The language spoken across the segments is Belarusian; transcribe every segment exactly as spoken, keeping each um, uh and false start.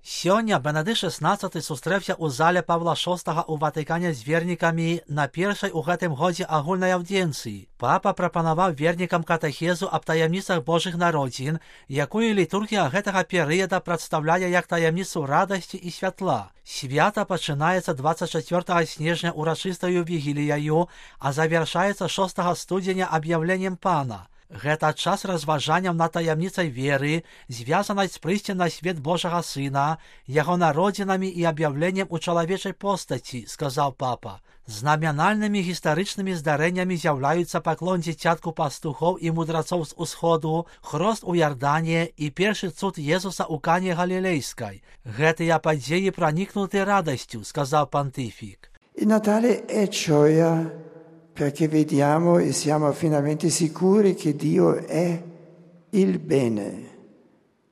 Сёння Бенедикт шестнадцаты сустрэўся ў зале Павла шостага ў Ватыкане з вернікамі на першай у гэтым годзе агульнай аўдзіенцыі. Папа прапанаваў вернікам катэхезу аб таямніцах Божых народзін, якую літургія гэтага перыяда прадстаўляе як таямніцу радасці і святла. Свята пачынаецца дваццаць чацвёртага снежня урачыстаю вігіліяю, а завяршаецца шостага студзеня аб'яўленнем Пана. Гэта час разважанняў над таямніцай веры, звязанай з прыйсцем на свет Божага Сына, яго народзінамі і аб'яўленнем у чалавечай постаці, сказаў папа. Знамянальнымі гістарычнымі здарэннямі з'яўляюцца паклон дзіцятку пастухоў і мудрацоў з усходу, хрост у Ярдане і першы цуд Езуса ў Кане Галілейскай. Гэтыя падзеі пранікнуты радасцю, сказаў пантыфік. Il Natale è gioia perché vediamo e siamo finalmente sicuri che Dio è il bene,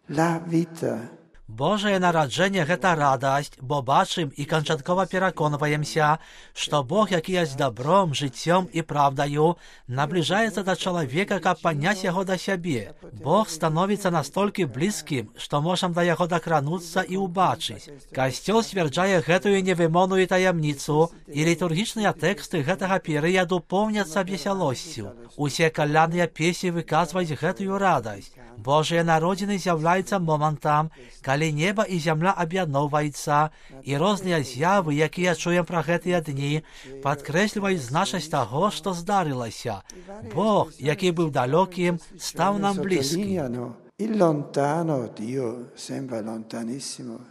la vita. Божае нараджэнне – гэта радасць, бо бачым і канчаткова пераконваемся, што Бог, які ёсць добром, жыццём і правдаю, набліжаецца да чалавека, каб падняць яго да сябе. Бог становіцца настолькі блізкім, што можам да яго дакрануцца і ўбачыць. Касцёл сцвярджае гэтую невымоўную таямніцу, і літургічныя тэксты гэтага перыяду поўняцца весялосцю. Усе калядныя песні выказваюць гэтую радасць. Божыя народзіны з'яўляюцца момантам, калі неба і зямля аб'ядноўваюцца, і розныя з'явы, якія чуем пра гэтыя дні, падкрэсліваюць значнасць таго, што здарылася. Бог, які быў далёкім, стаў нам блізкім. Il lontano Dio sembra lontanissimo,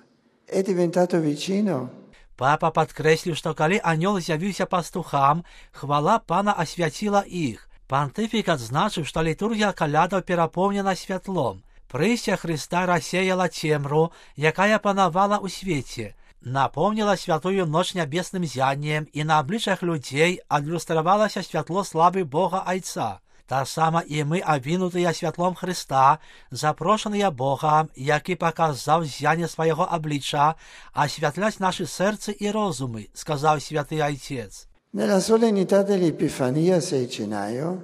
è diventato vicino. Папа падкрэсліў, што калі анёл з'явіўся пастухам, хвала Пана асвяціла іх. Пантыфік адзначыў, што літургія калядаў перапоўнена святлом. Прыйсце Хрыста рассеяла цемру, якая панавала ў свеце, напомніла святую ноч нябесным зяннем, і на абліччах людзей адлюстравалася святло славы Бога Айца. Таксама і мы абвінутыя святлом Хрыста, запрошаныя Богам, які паказаў зянне свайго аблічча, асвятляць нашы сэрцы і розумы, сказаў святы Айцец. Nella solennità dell'Epifania sei gennaio,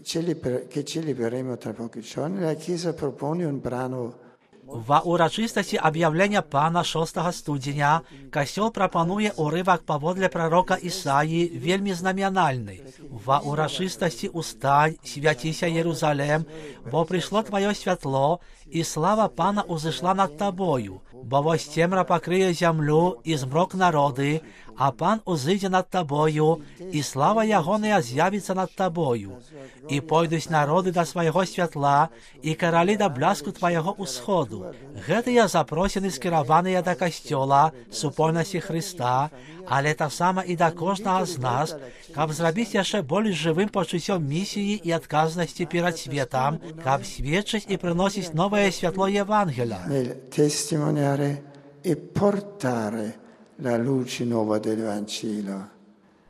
che celebreremo tra pochi giorni, la Chiesa propone un brano. Ва урачыстасці аб'яўлення Пана шостага студзеня касцёл прапануе ўрывак паводле прарока Ісаі, вельмі знамянальны. Ва урачыстасці «Устань, свяціся, Єрусалем, бо прыйшло тваё святло, і слава Пана ўзышла над табою, бо вось цемра пакрые зямлю і змрок народы, а Пан узыдзе над табою, і слава ягоная з'явіцца над табою. І пойдуць народы да свайго святла, і каралі да бляску твайго ўсходу». Гэтыя запросіны скіраваныя да касцёла, супольнасці Хрыста, але таксама і да кожнага з нас, каб зрабіць яшчэ больш жывым пачуццём місіі і адказнасці перад светам, каб сведчыць і прыносіць новае святло Євангеля. Testimoniare e portare la luce nuova del Vangelo.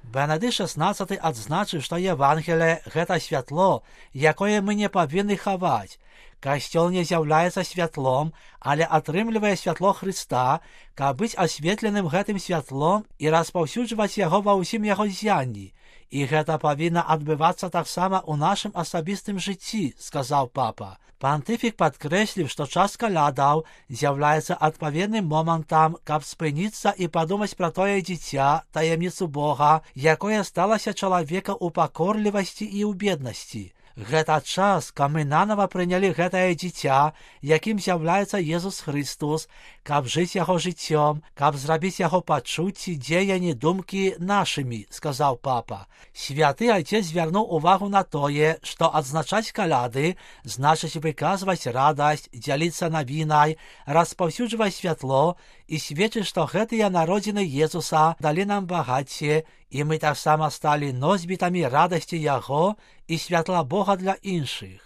Бенедикт шестнадцаты адзначыў, што Євангеліе – гэта святло, якое мы не павінны хаваць. Касцёл не з'яўляецца святлом, але атрымлівае святло Хрыста, каб быць асветленым гэтым святлом і распаўсюджваць яго ва ўсім яго зянні. І гэта павінна адбывацца таксама ў нашым асабістым жыцці, сказаў папа. Пантыфік падкрэсліў, што час калядаў з'яўляецца адпаведным момантам, каб спыніцца і падумаць пра тое дзіця, таямніцу Бога, якое сталася чалавека ў пакорлівасці і ў беднасці. Гэта час, каб мы нанава прынялі гэтае дзіця, якім з'яўляецца Езус Христос, каб жыць яго жыццём, каб зрабіць яго пачуцці, дзеянні, думкі нашымі, сказаў папа. Святы Айцец звярнуў увагу на тое, што адзначаць каляды значыць выказваць радасць, дзяліцца навінай, распаўсюджваць святло і сведчыць, што гэтыя народзіны Езуса далі нам багацце, і мы таксама сталі носьбітамі радасці Яго і святла Бога для іншых.